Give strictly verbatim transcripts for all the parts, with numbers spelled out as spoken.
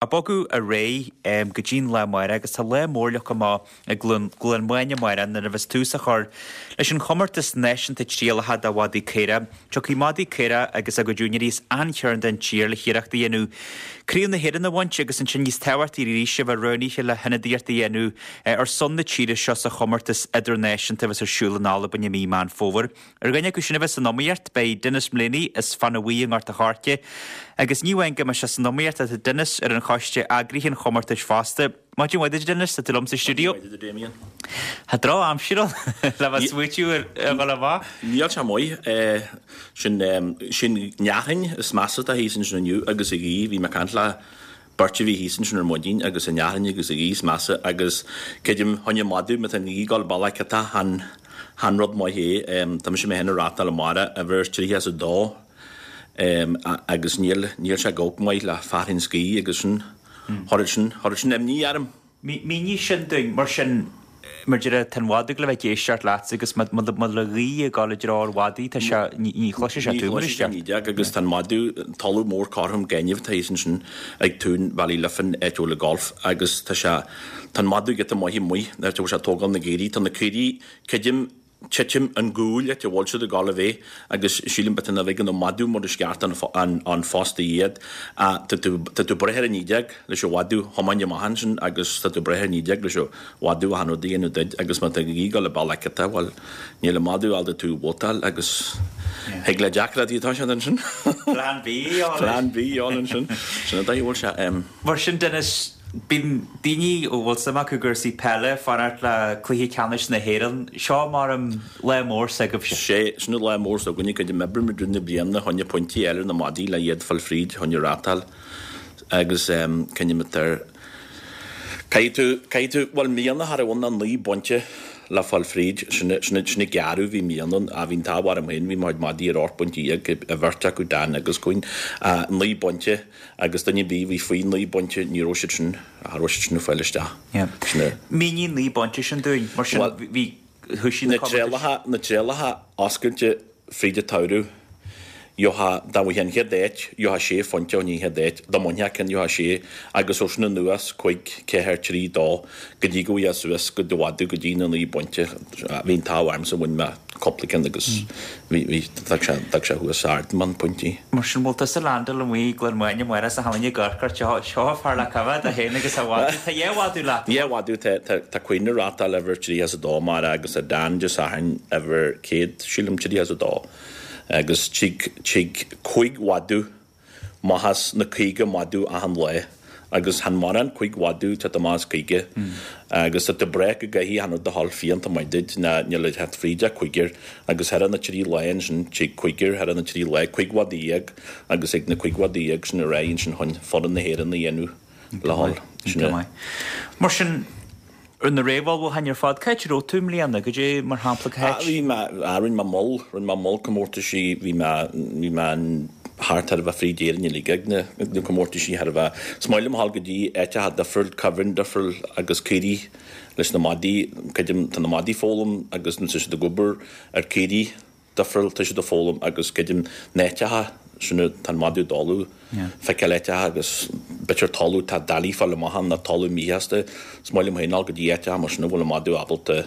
Ag bogadh ar aghaidh go dtí'n lá amárach agus tá lá mór leagtha amach i gCluain Mháine amárach nuair a bheas tús á chur leis an chomórtas náisiúnta trialacha do mhadaí caora. Tiocfaidh madaí caora agus a gcuid úinéirí as achan chearn den tír le hiarracht a dhéanamh Craobh na hÉireann a bhaint agus ansin níos tábhachtaí arís a bheith roghnaithe le hionadaíocht a dhéanamh ar son na tíre seo sa chomórtas idirnáisiúnta a bheas ar siúl in Albain i mí Meán Fómhair. Ar dhuine acu sin a bheas san iomaíocht beidh Denis Mullaney as Fanadh Bhuí i nGort a' Choirce agus ní amháin go mbeidh sé san iomaíocht tá Denis ar an choiste eagraithe an chomórtais fosta. Maidin mhaith duit Denis, tá tú liom sa stiúideo. Tá drochaimsir ann le bheith smaoitiú ar dhul amach. Níl sé maith sin sin neathain is measa atá thíos ansin inniu agus a ghaoth bhí mé ag caint le beirt a bhí thíos ansin ar maidin agus an neathain agus a ghaoth is measa agus creidim choinne madadh má tá an ghaoth ag dul bealach cad chan chan rud maith é tá mise mé féin ag rátáil amárach uimhir tríocha is a dó agus níl níl sé go maith le fearthainn 's gaoth agus sin thorad sin thorad sin imní orm. Mínigh sin dúinn mar sin mar deir tá an mhadadh le bheith ag éisteacht leat agus má le gaoth ag dul i dtreo ar mhadaí tá sé ní chloisfidh sé tú mar Ní chloisfidh sé ní deag agus tá an madadh talamh mór cothrom gainimh tá thíos ansin ag Tún Ballyliffin áit a bhfuil an golf agus tá sé tá an madadh giota maith amuigh áit a bhfuil sé ag tógáil na gcaoirigh tá na caoirigh creidim titim an gcúil áit a bhfuil siad ag dul a bheith agus sílim b'fhéidir nach bhfeiceann an madadh mar is ceart an an an fosta iad tá tú tá tú breithe ar an déag leis an mhadadh thiomáin amach ansin agus tá tú breithe ar an déag leis an mhadadh achan rud a dhéanamh duit agus má tá an ghaoth ag dul i bealach cata bhuel níl an madadh ábalta tú a vótáil agus thig le deacrachtaí atá siad ansin. Plan B ann. Plan B ann ansin. Sin an dóigh a bhfuil sé. Mar sin Denis Bíonn daoine a bhfuil suim acu i gcúrsaí peile ag fanacht le cluiche ceannais na hÉireann. Seo mar an lá mór s'agaibhse. Sé, sin an lá mór s'againne, creidim oibrímid i rith na bliana chun na pointí a fháil ar na madaí le iad fáil fríd chun rátáil agus cinnimid ar caithfidh tú, caithfidh tú, bhuel i mbliana cha raibh ann ach naoi bpointe le fáil fríd, sin, sin, sin an gearradh a bhí i mbliana ann, bhí an t-ádh orm féin, bhí mo chuid madaí ar ocht bpointe dhéag, a bheirt acu, Dan agus Quinn, naoi bpointe. Agus duine ar bith a bhí faoi naoi bpointe, ní raibh siad sin, cha raibh siad sin ag fáil isteach. Sin é. Mínigh naoi bpointe sin dúinn, mar sin bhí, thoisigh na Na trialacha, na trialacha oscailte fríd an tsamhradh, gheofá, dá bhfaighfeá an chéad áit, gheofá sé phointe ón chéad áit, dá mbainfeá ceann gheofá sé, agus ó sin anuas, cúig, ceathair, trí, dó, go dtí go bhfaighfeá suas go dtí go dtí na naoi bpointe. Bhí an t-ádh ormsa, bhain mé cúpla ceann agus bhí, bhí, d'fhág sé, d'fhág sé thuas ard man pointí. Mar sin, bhfuil tusa landáil amuigh i gCluain Mháine amárach sa halla ag amharc ort, seo, seo fear le coimhéad é féin agus a mhadadh. Tá dhá mhadadh leat. Dhá mhadadh, tá, tá, tá Quinn ag rátáil uimhir tríocha is a dó amárach agus tá Dan Dé Sathairn uimhir céad, sílim, tríocha is a dó. Agus tig, tig cúig mhadadh amach as na caoga madadh achan lá agus chan mórán cúig mhadadh teacht amach as caoga agus tá tú breá go gcaithfidh achan rud a dhul fiánta maith duit ná níl ag teacht fríd ach cúigear agus thar na trí lá ansin tig cúigear thar na trí lá cúig mhadadh dhéag agus ag na cúig mhadadh dhéag sin ar aghaidh ansin chun foireann na hÉireann a dhéanamh le dhul. Sin é. Mar sin Ar na réamhullmhúcháin ar fad, cá háit a raibh tú i mbliana? Goidé mar shampla cá háit? Bhí mé, rinne mé moll, rinne mé moll comórtaisí, bhí mé, bhí mé thart thar a bheith fríd Éirinn uilig ag na, ag na comórtaisí thar a bheith. Is maith liom a dhul go dtí áiteacha difriúil, cuibhreann difriúil agus caoirigh leis na madaí, creidim, tá na madaí ag foghlaim agus tá siad ag obair ar caoirigh. difriúil, tá siad ag foghlaim agus creidim na háiteacha sin tá an madadh ag dul ag feiceáil áiteacha agus b'fhéidir talamh tá doiligh fáil amach ann nó talamh míshásta, is maith liom féin dul go dtí áiteacha mar sin a bhfuil an madadh ábalta,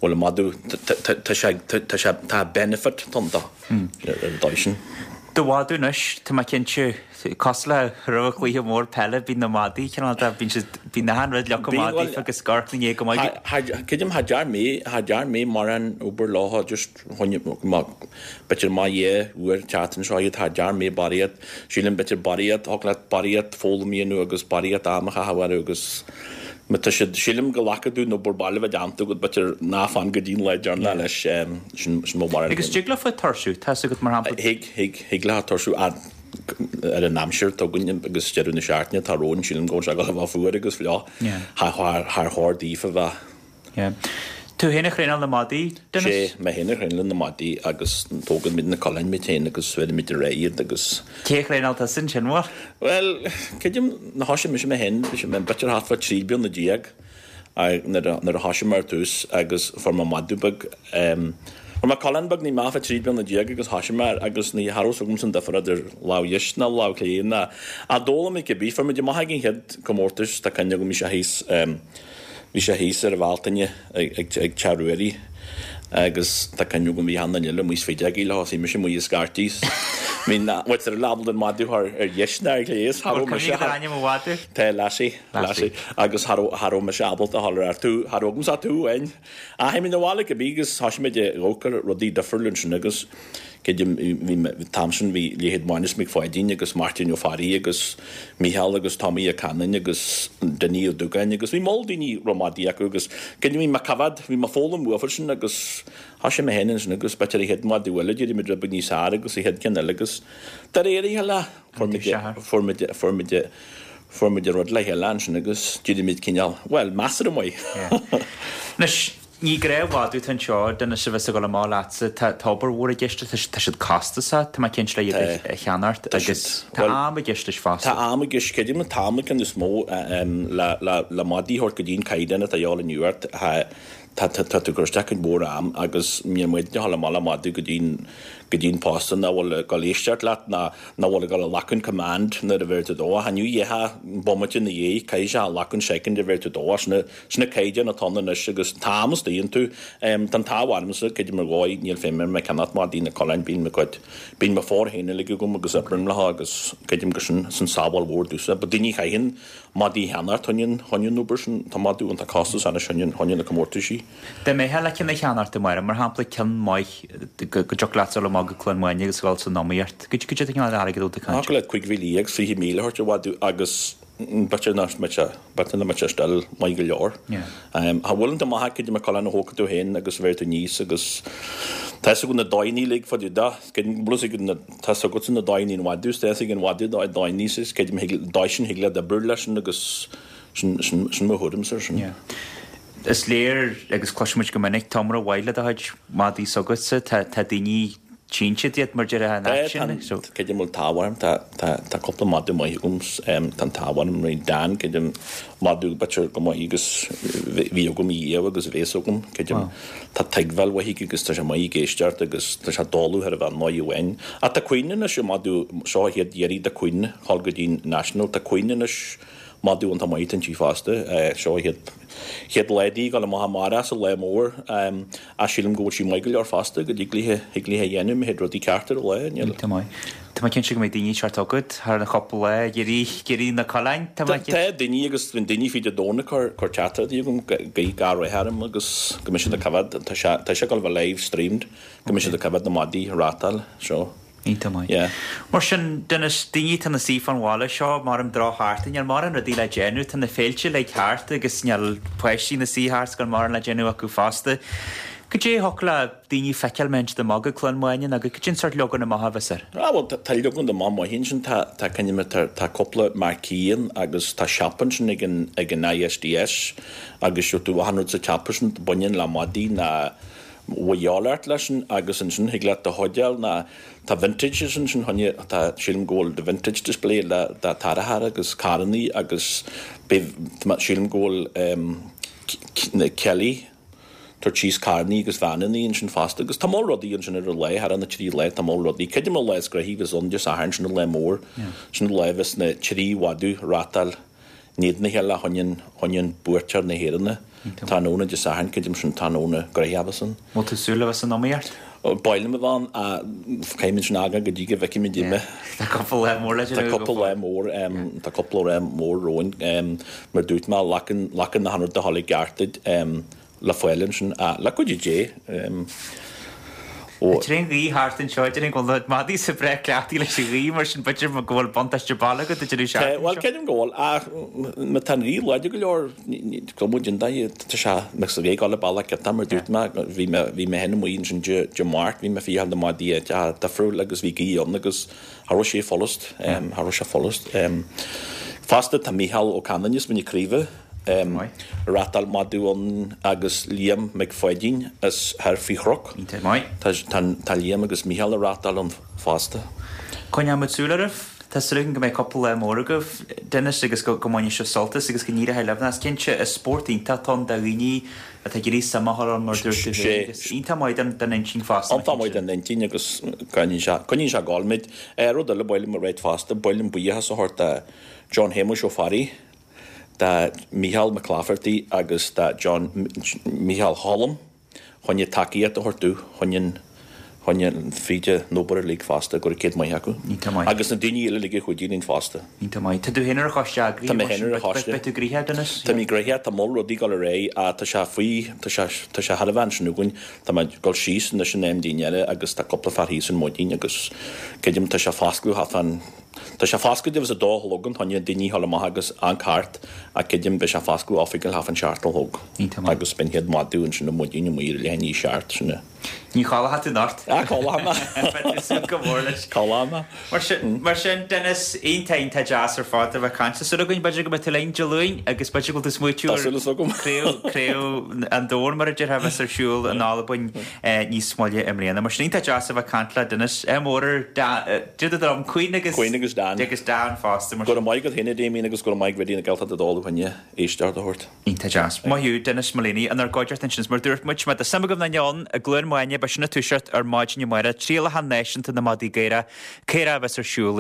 bhfuil an madadh, tá sé, tá sé, tá benefit ann dó ar an dóigh sin. Do mhadadh anois, tá mé cinnte, cosúil le roimh an chluiche mór peile, bíonn na madaí cineál de, bíonn siad, bíonn achan rud leagtha amach daofa agus ag amharc ina ndiaidh go maith. Creidim, cha dear mé, cha dear mé mórán obair leo, just choinne, b'fhéidir má dhá uair an tseachtain seo iad, cha dear mé barraíocht, sílim b'fhéidir barraíocht, thig leat barraíocht foghlaim a dhéanamh agus barraíocht am a chaitheamh orthu agus má tá siad, sílim go nglacfaidh tú an obair baile a bheith déanta agat, b'fhéidir ná fan go dtí an lá deireanach leis, sin, sin mo bharúil. Agus dtig leofa tuirsiú, tá 'fhios agat mar shampla. Thig, thig, thig leo tuirsiú ar an aimsir atá againn agus deireadh na seachtaine atá romhainn, sílim go bhfuil sé ag dul a bheith fuar agus fliuch, char chóir daofa bheith. Yeah. Tú féin a thraenáil na madaí, Denis? Sé, mé féin a thraenálann na madaí agus tógann muid na coileáin muid féin agus bheirimid ar aghaidh iad agus. Cé a thraenáil tusa ansin, bhuel? Bhuel, creidim, nuair a thoisigh mise mé féin, bhí sé b'fhéidir thart fá trí bliana déag nuair a thoisigh mé ar tús agus fuair mé madadh beag, Fuair mé coileán beag, ní mé fá trí bliana déag agus thoisigh mé air agus ní cha raibh 's agamsa an difear idir lámh dheis ná lámh chlé ná ach d'fhoghlaim mé cibé. Fuair muid amach ag an chéad comórtas, tá cuimhne agam, bhí sé thíos, bhí sé thíos ar an Bhealtaine ag ag Teach Ruairí agus tá cuimhne agam bhí achan duine eile amuigh is feadógaí leo, bhí mise amuigh ag scairtigh is bhí na, bhuel tar ábalta an madadh a chur ar dheis ná ar chlé is cha raibh mise, Cuimhnigh ar ainm an mhadaidh. Tá Lassie, Lassie agus cha raibh, cha raibh mise ábalta a dhul ar tú, cha raibh agamsa tú amháin. Ach théim na bhaile cibé agus thoisigh muid ag amharc ar rudaí difriúla ansin agus creidim bhí an t-am sin bhí leithéid Mánus Mac Pháidín agus Máirtín Ó Fearraigh agus Mícheál agus Tomaí Ó Canainn agus Dinny Ó Dúgáin agus bhí moll daoine raibh madaí acu agus creidim bhí mé ag coimhéad, bhí mé ag foghlaim uafa sin agus thoisigh mé féin ansin agus b'fhéidir an chéad mhadadh eile d'éirigh muid rud beag níos fearr agus an chéad ceann eile agus de réir a chéile fuair muid fuair muid fuair muid fuair muid an rud le chéile ansin agus d'éirigh muid cineál, bhuel, measartha maith. Anois, ní gnáthmhadadh atá anseo, Denis, a bheas ag dul amach leatsa, tá tá obair mhór i gceist, tá tá siad costasach, tá mé cinnte le iad a cheannacht agus tá am i gceist leis fosta. Tá am i gceist, creidim an t-am an ceann is mó le le le madaí a thabhairt go dtí an caighdeán atá a dhíobháil inniu ort, tá tá tá tú ag cur isteach cuid mhór am agus níl muid ag dul amach le madadh go dtí an go dtí an posta nach bhfuil ag dul éisteacht leat ná nach bhfuil ag dul a ghlacadh an command nuair a bheir tú dó. Ach inniu dheithe bomaite ina dhiaidh caithfidh sé a ghlacadh an second a bheir tú dó. Sin sin na caighdeáin atá ann anois agus tá am istigh iontu. Tá an t-ádh ormsa, creidim ar dhóigh, níl feidhm orm ag ceannacht madaí na coileáin, bíonn mo chuid, bíonn mo phór féin uilig agam agus oibrím leo agus creidim gur sin sin sábháil mhór domhsa. But daoine a chaitheann madaí a cheannacht, choinne choinne an obair sin, tá madadh iontach costasach anois choinne choinne na comórtaisí. Dá mbeifeá le ceann a cheannacht amárach, mar shampla ceann maith go dtiocfadh leat dul amach go Cluain Mháine agus dhul san iomaíocht, goidé an cineál airgid a bhfuil tú ag caint? Thiocfadh leat cúig mhíle dhéag, fiche míle a thabhairt ar mhadadh agus b'fhéidir nach mbeadh sé, b'fhéidir nach mbeadh sé still maith go leor. Cha bhfuil iontu maith acu, mar coileán a thógfaidh tú féin agus bheir tú aníos agus tá fhios agat na dóigheanna uilig fá dtaobh de, creidim go bhfuil fhios agat na, tá fhios agatsa na dóigheanna an mhadaidh, tá fhios ag an mhadadh na dóigheanna is creidim thig, dóigh sin thig leat oibriú leis sin agus sin, sin, sin mo thuairimse ar sin. Is léir, agus cloisimid go minic, tá iomrá mhaith le do chuid madaí s'agatsa, tá tá daoine tchíonn siad iad mar déarfá in áit sin. So. Creidim bhfuil t-ádh orm, tá tá tá cúpla madadh maith agam, tá an t-ádh orm, rí Dan, creidim madadh b'fhéidir go maith agus bhí agam riamh agus a bhéas agam, creidim tá tuigbheáil mhaith aige agus tá sé maith ag éisteacht agus tá sé dóladh thar a bheith maith amháin. Ach tá Queen anois, an madadh seo a chéad iarraidh de Queen dhul go dtí an National, tá Queen anois Madadh iontach maith inti fosta. Seo a chéad chéad lá di ag dul amach amárach sa lá mór ach sílim go bhfuil sí maith go leor fosta go dtig léi thig léi a dhéanamh má théid rudaí ceart ar an lá. Níl. Tá maith. Tá mé cinnte go mbeidh daoine ag teacht chugat thar an chúpla lá ag iarraidh ag iarraidh na coileáin. Tá mé Tá daoine agus bíonn daoine fríd an domhan ag cur cur teachtaireachtaí chugam guí gach rath orm agus go mbeidh siad ag coimhéad tá sé tá sé ag dul a bheith live streamed go mbeidh siad ag coimhéad na madaí ag rátáil seo. Iontach maith. Yeah. Mar sin, Denis, daoine atá ina suí fán bhaile seo, mar an drochsheachtain, níl mórán rudaí le déanamh, tá na féilte uilig thart agus níl páistí ina suí thart 's gan mórán le déanamh acu fosta. Cad é a thiocfadh le daoine feiceáil má théann siad amach go Cluain Mháine nó cad é an sórt leagan amach a bheas air? Ah bhuel tá tá leagan amach maith ansin, tá tá cineál tá tá cúpla marquee ann agus tá siopa ansin ag an ag an ISDS agus gheobhaidh tú achan rud sa tsiopa sin baineann le madaí ná bhfuil ort leis sin agus ansin thig leat do chuid ná tá vintages ansin choinne tá sílim go bhfuil the vintage display le de tarrtháir agus carrannaí agus beidh sílim go bhfuil na Kelly tabhairt síos carrannaí agus veaineannaí ansin fosta agus tá moll rudaí ansin ar an lá thar na trí lá tá moll rudaí creidim an lá is gnoithí bheas ann Dé Sathairn sin an lá mór sin an lá a bheas na trí mhadadh rátáil in éadan a chéile choinne an buaiteoir na hÉireann. Tráthnóna Dé Sathairn, creidim sin tráthnóna gnoitheach a bheas ann. Bhfuil tú súil le bheith san iomaíocht? B'áil liom a bheith ann ach caithfimid sin a fhágáil go dtí go bhfeicfimid uime. Tá cúpla lá mór le déanamh. Tá cúpla lá mór, tá cúpla lá mór romhainn. Mar dúirt mé, glacann achan rud a dhul i gceart duit. Le fáil ansin, le cuidiú Dé. Ó. Tá an ghaoth thart anseo, déarfainn go bhfuil na madaí sa breá cleachtaithe leis an ghaoth, mar sin b'fhéidir go bhfuil buntáiste baile agat idir an seachtain seo. Bhuel, creidim go bhfuil, ach má tá an ghaoth láidir go leor, go bhfuil an dath, tá sé, mbeadh sa ghaoth ag dul an bealach giota, mar dúirt mé, bhí mé, bhí mé féin amuigh ansin Dé, Dé Máirt, bhí mé ag féachaint na madaí áiteacha difriúil agus bhí gaoth ann agus cha raibh sé follas, cha raibh sé follas. Fosta tá Mícheál Ó Canainn as Mín na Craoibhe, Rátáil madadh ann agus Liam Mac Pháidín as thoir faoi Chnoc. Tá Liam agus Mícheál ag rátáil ann fosta. Coinneoidh muid súil oraibh. Tá súil againn go mbeidh cúpla lá mór agaibh, Denis, agus go go mbainfidh sibh sult as agus go n-éireoidh libh. Is cinnte, is spórt iontach atá ann do dhaoine atá ag iarraidh suim a chur ann mar dúirt tú féin agus iontach maith don don intinn fosta. Iontach maith don intinn agus coinníonn sé coinníonn sé ag gabháil muid. Rud eile ba mhaith liom a ráit fosta, ba mhaith liom buíochas a thabhairt do John Shéamuis Ó Fearraigh, do Mícheál Mac Laifeartaigh agus do John Mícheál Cholm. Choinne tacaíocht a thabhairt dúinn, choinne an, choinne an, fríd an obair uilig fosta, go raibh céad maith acu. Iontach maith. Agus na daoine eile uilig a chuidigh linn fosta. Iontach maith. Tá tú féin ar an choiste eagraithe Tá mé féin ar an choiste. Beidh tú gnoitheach, Denis? Tá mé gnoitheach, tá moll rudaí ag dul ar aghaidh, ach tá sé faoi, tá sé, tá sé thar a bheith ansin againn. Tá mé ag dul síos anois in am dinnéara agus tá cúpla fear thíos ar maidin agus creidim tá sé foscladh thart fán, Tá sé foscailte abhus a dó a chlog an choinne daoine a ghabháil amach agus an cairt ach creidim beidh sé foscladh oifigiúil thart fán seacht a chlog Iontach maith. agus beidh an chéad mhadadh ansin ar maidin amuigh ar leath i ndiaidh a seacht sin é. Ní chodlóidh tú anocht. Ah, codlóidh mé. Beidh tú ag súil go mór leis. Codlóidh mé. Mar sin, mar sin, Denis, iontach iontach deas ar fad a bheith ag caint. Tá súil againn b'fhéidir go mbeidh tú linn Dé Luain agus b'fhéidir go bhfuil tú ag smaoitiú Tá ar súil as agam. craobh, craobh an domhain mar a déarfá a bheas ar siúl in Albain níos moille i mbliana. Mar sin iontach deas a bheith ag caint le Denis. Ádh mór ar Dan, dom Queen agus Queen agus Dan. agus Dan fosta mar Go raibh maith agat féin a Damien agus go raibh maith ag Raidió na Gaeltachta dul ó choinne éisteacht a thabhairt. Iontach deas. Maith thú, Denis Mullaney, inár gcuideachta ansin. Mar dúirt muid, má tá suim agaibh ná ann i gCluain Maine, beidh sin ag toiseacht ar maidin amárach, trialacha náisiúnta na madaí caora, caora a bheas ar siúl.